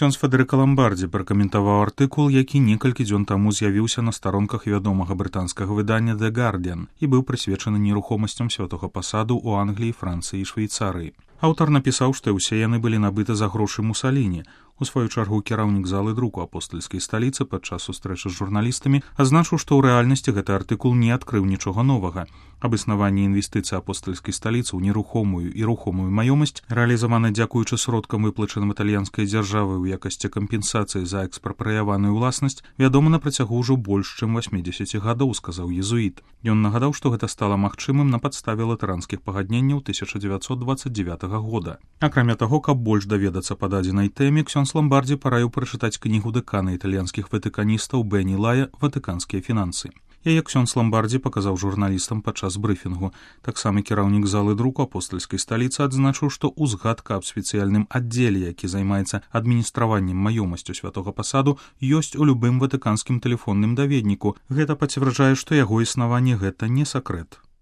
Ксёндз Федэрыка Ламбардзі пракаментаваў артыкул, які некалькі дзён таму з'явіўся на старонках вядомага брытанскага выдання The Guardian і быў прысвечаны нерухомасцям святога пасаду ў Англіі, Францыі і Швейцарыі. Аўтар напісаў, што ўсе яны былі набыты за грошы Мусаліні. У сваю чаргу кіраўнік залы друку апостальскай сталіцы падчас сустрэчы з журналістамі азначыў, што ў рэальнасці гэты артыкул не адкрыў нічога новага. Абаснаванне інвестыцый апостальскай сталіцы ў нерухомую і рухомую маёмасць, рэалізавана дзякуючы сродкам, выплачаным італьянскай дзяржавай у якасці кампенсацыі за экспрапрыяваную ўласнасць, вядома на працягу ўжо больш чым 80 гадоў, сказаў езуіт. Ён нагадаў, што гэта стала магчымым на падставе латаранскіх пагадненняў 1929 года. Акрамя таго, каб больш даведацца па дадзенай тэме, Ксёндз Ламбардзі параіў прачытаць кнігу дэкана італьянскіх ватыканістаў Бэні Лая «Ватыканскія фінансы». Яе Ксёндз Ламбардзі паказаў журналістам падчас брыфінгу. Таксама кіраўнік залы друку апостальскай сталіцы адзначыў, што ўзгадка аб спецыяльным аддзеле, які займаецца адміністраваннем маёмасцю святога пасаду, ёсць у любым ватыканскім тэлефонным даведніку. Гэта пацвярджае, што яго існаванне гэта не сакрэт.